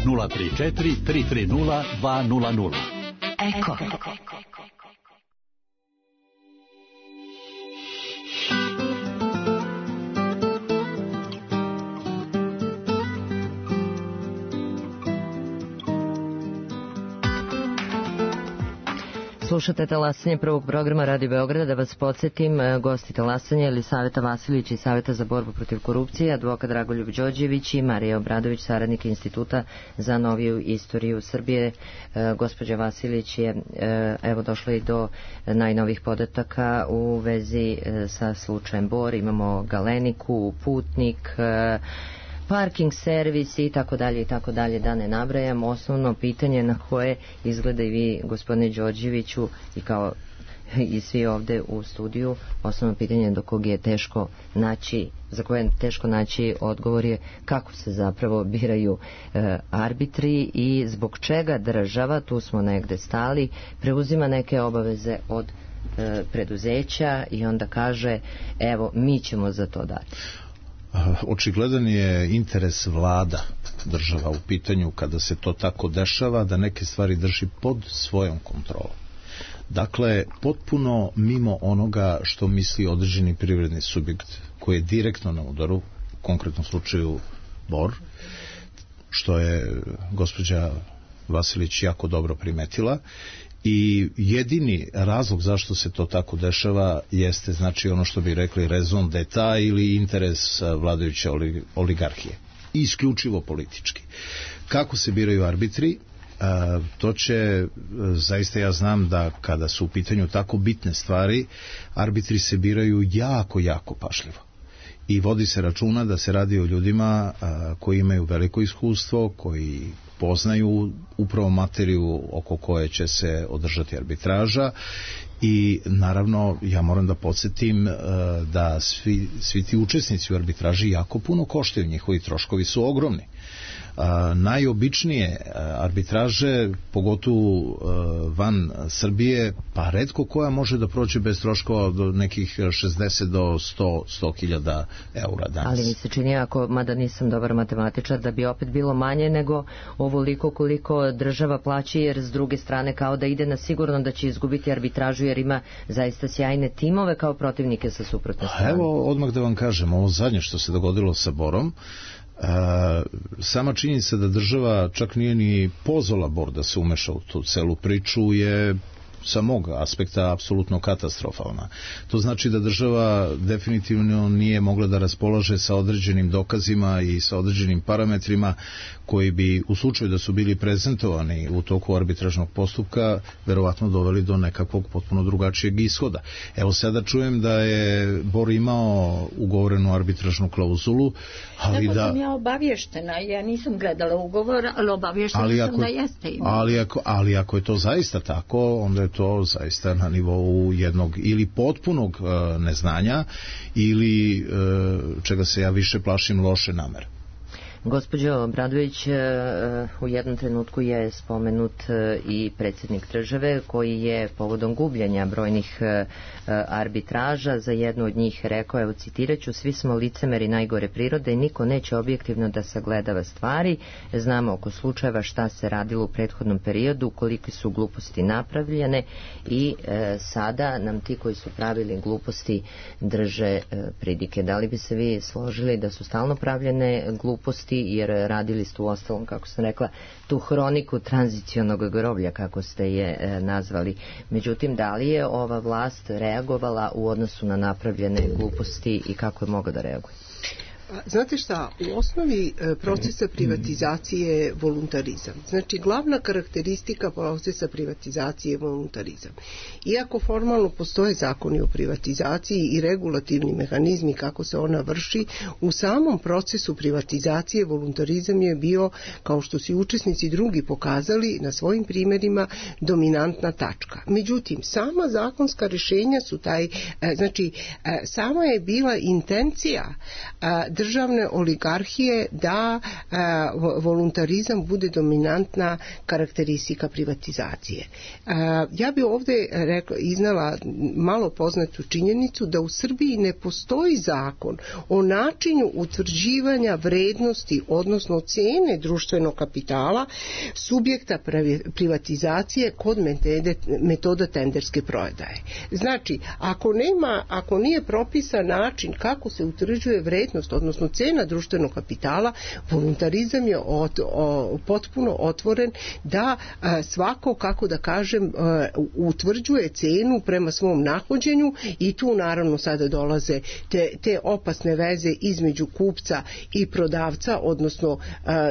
Speaker 12: 034 330 200.
Speaker 10: Eko.
Speaker 2: Slušate talasanje prvog programa Radio Beograda. Da vas podsjetim, gosti talasanja Elisaveta Vasilić iz Saveta za borbu protiv korupcije, advokat Dragoljub Đorđević i Marija Obradović, saradnik Instituta za noviju istoriju Srbije. Gospođa Vasilić je evo došla i do najnovih podataka u vezi sa slučajem Bor. Imamo Galeniku, Putnik, parking servis i tako dalje, da ne nabrajam. Osnovno pitanje na koje izgleda i vi, gospodine Đorđeviću, i kao i svi ovde u studiju, osnovno pitanje do kog je teško naći, za koje je teško naći odgovor je kako se zapravo biraju arbitri i zbog čega država, tu smo negde stali, preuzima neke obaveze od preduzeća i onda kaže evo mi ćemo za to dati.
Speaker 4: Očigledan je interes vlada država u pitanju kada se to tako dešava da neke stvari drži pod svojom kontrolom. Dakle, potpuno mimo onoga što misli određeni privredni subjekt koji je direktno na udaru, u konkretnom slučaju Bor, što je gospođa Vasilić jako dobro primetila. I jedini razlog zašto se to tako dešava jeste, znači, ono što bi rekli raison d'etat ili interes vladajuće oligarhije. I isključivo politički. Kako se biraju arbitri? To će, zaista ja znam da kada su u pitanju tako bitne stvari, arbitri se biraju jako pažljivo. I vodi se računa da se radi o ljudima koji imaju veliko iskustvo, koji poznaju upravo materiju oko koje će se održati arbitraža i naravno ja moram da podsjetim da svi ti učesnici u arbitraži jako puno koštaju, njihovi troškovi su ogromni. Najobičnije arbitraže, pogotovo van Srbije, pa retko koja može da prođe bez troškova do nekih 60 do 100.000 eura danas.
Speaker 2: Ali mi se čini, mada nisam dobar matematičar, da bi opet bilo manje nego ovoliko koliko država plaća, jer s druge strane kao da ide na sigurno da će izgubiti arbitražu, jer ima zaista sjajne timove kao protivnike sa suprotne strane.
Speaker 4: Evo, odmah da vam kažem, ovo zadnje što se dogodilo sa Borom, sama činjenica da država čak nije ni pozvala Bor da se umeša u tu celu priču je sa mog aspekta apsolutno katastrofalna. To znači da država definitivno nije mogla da raspolaže sa određenim dokazima i sa određenim parametrima koji bi u slučaju da su bili prezentovani u toku arbitražnog postupka verovatno doveli do nekakvog potpuno drugačijeg ishoda. Evo sada čujem da je Bor imao ugovorenu arbitražnu klauzulu, ali
Speaker 5: da... sam ja obavještena, ja nisam gledala ugovor, ali obavještena sam da jeste imao.
Speaker 4: Ali ako je to zaista tako, onda je to zaista na nivou jednog ili potpunog neznanja ili čega se ja više plašim, loše namere.
Speaker 2: Gospođo Obradović, u jednom trenutku je spomenut i predsjednik države koji je povodom gubljenja brojnih arbitraža za jednu od njih rekao, evo citiraću, svi smo licemeri najgore prirode i niko neće objektivno da sagledava stvari. Znamo oko slučajeva šta se radilo u prethodnom periodu, koliko su gluposti napravljene i sada nam ti koji su pravili gluposti drže pridike. Da li bi se vi složili da su stalno pravljene gluposti, jer radili ste u ostalom, kako sam rekla, tu hroniku tranzicionog groblja, kako ste je nazvali. Međutim, da li je ova vlast reagovala u odnosu na napravljene gluposti i kako je mogla da reaguje?
Speaker 6: Znate šta, u osnovi procesa privatizacije je voluntarizam. Znači, glavna karakteristika procesa privatizacije je voluntarizam. Iako formalno postoje zakoni o privatizaciji i regulativni mehanizmi kako se ona vrši, u samom procesu privatizacije voluntarizam je bio, kao što su učesnici drugi pokazali na svojim primjerima, dominantna tačka. Međutim, sama zakonska rješenja su sama je bila intencija državne oligarhije da voluntarizam bude dominantna karakteristika privatizacije. Ja bi ovdje iznala malo poznatu činjenicu da u Srbiji ne postoji zakon o načinu utvrđivanja vrednosti, odnosno cene društvenog kapitala subjekta privatizacije kod metoda tenderske prodaje. Znači, ako nije propisan način kako se utvrđuje vrednost, odnosno cena društvenog kapitala, voluntarizam je potpuno otvoren da svako, kako da kažem, utvrđuje cenu prema svom nahođenju i tu naravno sada dolaze te opasne veze između kupca i prodavca, odnosno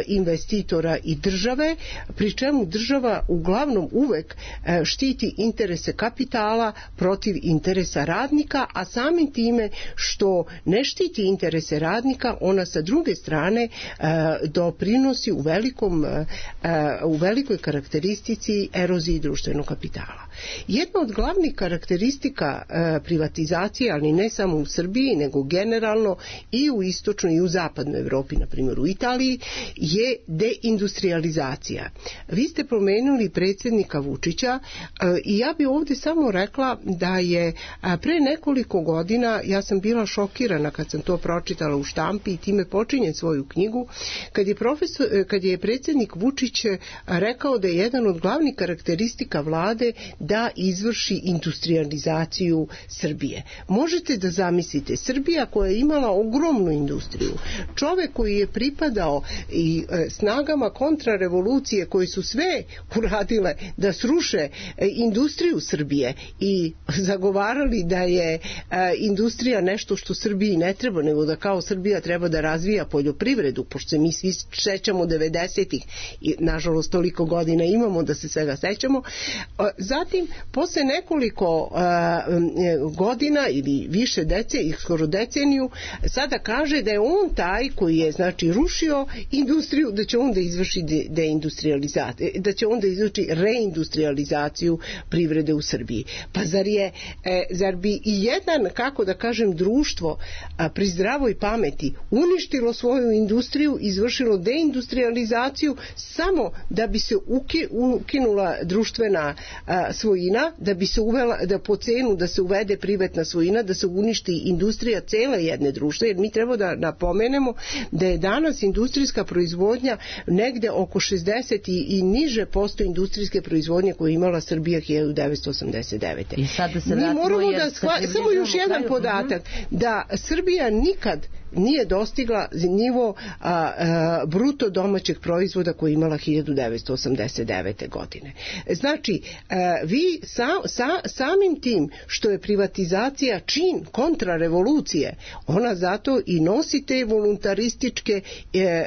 Speaker 6: investitora i države, pri čemu država uglavnom uvek štiti interese kapitala protiv interesa radnika, a samim time što ne štiti interese radnika, ona sa druge strane doprinosi u velikoj karakteristici eroziji društvenog kapitala. Jedna od glavnih karakteristika privatizacije, ali ne samo u Srbiji, nego generalno i u istočnoj i u zapadnoj Evropi, na primjer u Italiji, je deindustrializacija. Vi ste pomenuli predsjednika Vučića i ja bi ovdje samo rekla da je pre nekoliko godina, ja sam bila šokirana kad sam to pročitala u štampi i time počinjem svoju knjigu, kad je predsjednik Vučić rekao da je jedan od glavnih karakteristika vlade da izvrši industrializaciju Srbije. Možete da zamislite, Srbija koja je imala ogromnu industriju, čovjek koji je pripadao i snagama kontrarevolucije koje su sve uradile da sruše industriju Srbije i zagovarali da je industrija nešto što Srbiji ne treba, nego da kao Srbija treba da razvija poljoprivredu, pošto se mi svi sećamo 90-ih i nažalost toliko godina imamo da se svega sećamo. Zatim, posle nekoliko godina ili više skoro deceniju, sada kaže da je on taj koji je znači rušio industriju, da će on da izvrši deindustrializaciju, da će on da izvrši reindustrializaciju privrede u Srbiji. Pa zar bi i jedan, kako da kažem, društvo pri zdravoj pameti uništilo svoju industriju, izvršilo deindustrializaciju samo da bi se ukinula društvena svojina, da bi se uvela, da po cenu da se uvede privatna svojina, da se uništi industrija cele jedne društva, jer mi treba da napomenemo da je danas industrijska proizvodnja negde oko 60 i niže posto industrijske proizvodnje koju je imala Srbija 1989.
Speaker 2: I sad da se
Speaker 6: mi moramo da samo još jedan podatak, da Srbija nikad nije dostigla nivo bruto domaćeg proizvoda koji je imala 1989. godine. Znači, vi samim tim što je privatizacija čin kontrarevolucije, ona zato i nosi te voluntarističke,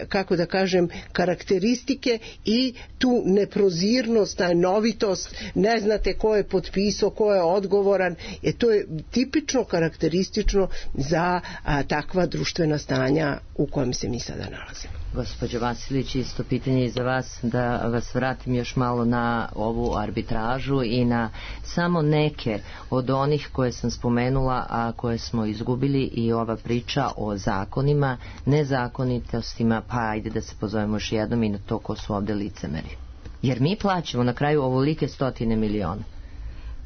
Speaker 6: kako da kažem, karakteristike i tu neprozirnost, tajnovitost, ne znate ko je potpisao, ko je odgovoran, to je tipično karakteristično za takva društvena stanja u kojem se mi sada nalazimo.
Speaker 2: Gospođo Vasilić, isto pitanje i za vas, da vas vratim još malo na ovu arbitražu i na samo neke od onih koje sam spomenula, a koje smo izgubili, i ova priča o zakonima, nezakonitostima, pa ajde da se pozovemo još jednom i na to ko su ovde licemeri. Jer mi plaćamo na kraju ovolike stotine miliona.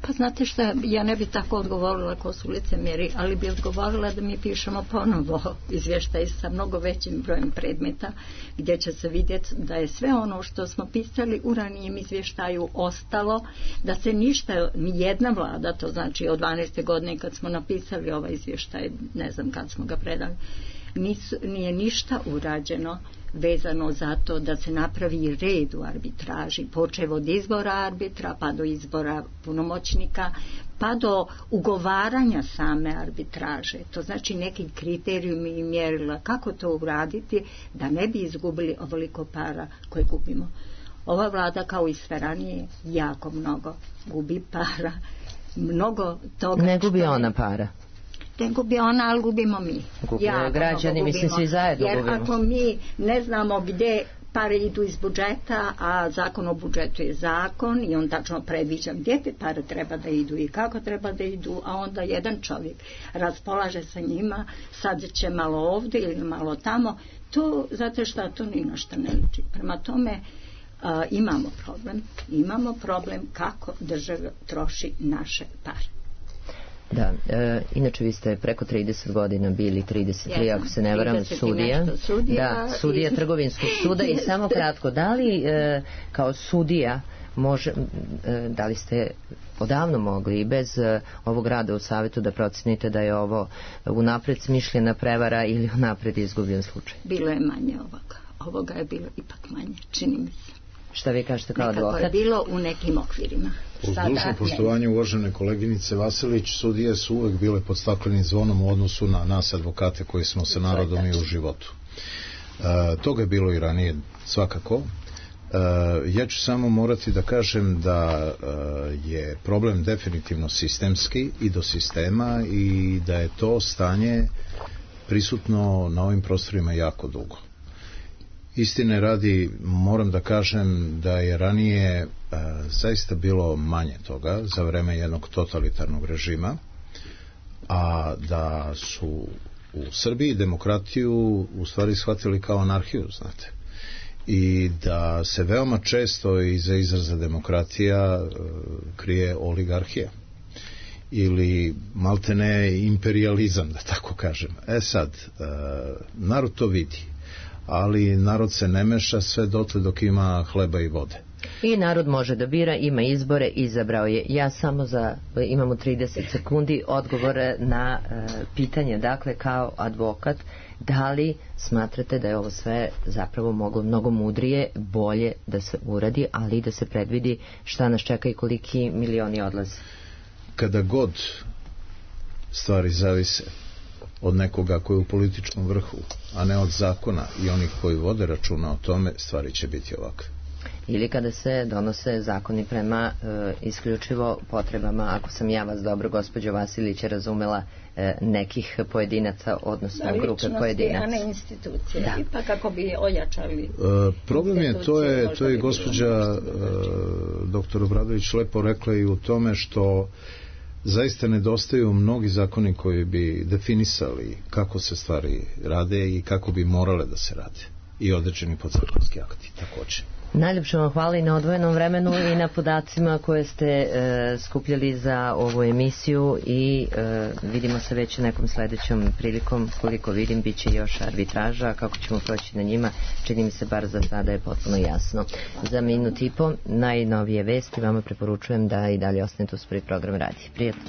Speaker 5: Pa znate šta, ja ne bi tako odgovorila ko su licemeri, ali bi odgovorila da mi pišemo ponovo izvještaj sa mnogo većim brojem predmeta, gdje će se vidjeti da je sve ono što smo pisali u ranijem izvještaju ostalo, da se ništa, ni jedna vlada, to znači od 12. godine kad smo napisali ovaj izvještaj, ne znam kad smo ga predali, nije ništa urađeno vezano za to da se napravi red u arbitraži, počev od izbora arbitra, pa do izbora punomoćnika, pa do ugovaranja same arbitraže. To znači neki kriterijumi i mjerila kako to uraditi da ne bi izgubili ovoliko para koje gubimo. Ova vlada, kao i sve ranije, jako mnogo gubi para, mnogo toga.
Speaker 2: Ne gubi ona para.
Speaker 5: Ne gubi ona, ali gubimo mi.
Speaker 2: Gubimo građani, mislim svi zajedno gubimo.
Speaker 5: Jer ako mi ne znamo gdje pare idu iz budžeta, a zakon o budžetu je zakon i on tačno predviđa gdje te pare treba da idu i kako treba da idu, a onda jedan čovjek raspolaže sa njima, sad će malo ovdje ili malo tamo, to zato što to ni na što ne liči. Prema tome imamo problem kako država troši naše pare.
Speaker 2: Da, inače vi ste preko 30 godina bili, 33 ako se ne varam, sudija Trgovinskog suda i samo kratko, da li kao sudija da li ste odavno mogli i bez ovog rada u savjetu da procenite da je ovo unapred smišljena prevara ili unapred izgubljen slučaj?
Speaker 5: Bilo je manje ovoga je bilo ipak manje, čini mi se.
Speaker 2: Šta vi kažete kao advokat?
Speaker 5: Nekako je bilo u nekim okvirima.
Speaker 4: Uz dužno poštovanje uvažene koleginice Vasilić, sudije su uvek bile pod staklenim zvonom u odnosu na nas advokate koji smo sa narodom i u životu. Toga je bilo i ranije svakako. Ja ću samo morati da kažem da je problem definitivno sistemski i do sistema i da je to stanje prisutno na ovim prostorima jako dugo. Istine radi, moram da kažem da je ranije zaista bilo manje toga za vreme jednog totalitarnog režima, a da su u Srbiji demokratiju u stvari shvatili kao anarhiju, znate. I da se veoma često iza izraza demokratija krije oligarhija ili maltene imperijalizam, da tako kažem. Sad, narod to vidi, ali narod se ne meša sve dotle dok ima hleba i vode.
Speaker 2: I narod može da bira, ima izbore, izabrao je. Ja samo imamo 30 sekundi odgovore na pitanje, dakle kao advokat, da li smatrate da je ovo sve zapravo moglo mnogo mudrije, bolje da se uradi, ali i da se predvidi šta nas čeka i koliki milioni odlaze?
Speaker 4: Kada god stvari zavise od nekoga koji je u političkom vrhu, a ne od zakona i onih koji vode računa o tome, stvari će biti ovakve.
Speaker 2: Ili kada se donose zakoni prema isključivo potrebama, ako sam ja vas dobro, gospođo Vasilić, razumela, nekih pojedinaca, odnosno grupe pojedinaca.
Speaker 5: A ne institucije. Da. Pa kako bi ojačali
Speaker 4: problem je, to je gospođa doktor Obradović lepo rekla i u tome što zaista nedostaju mnogi zakoni koji bi definisali kako se stvari rade i kako bi morale da se rade. I određeni podzakonski akti također.
Speaker 2: Najljepše vam hvala i na odvojenom vremenu i na podacima koje ste skupljali za ovu emisiju i vidimo se već nekom sledećom prilikom. Koliko vidim, bit će još arbitraža, kako ćemo proći na njima, čini mi se bar za sada je potpuno jasno. Za minut i po najnovije vesti vama preporučujem da i dalje ostanete uz prvi program radija. Prijatno.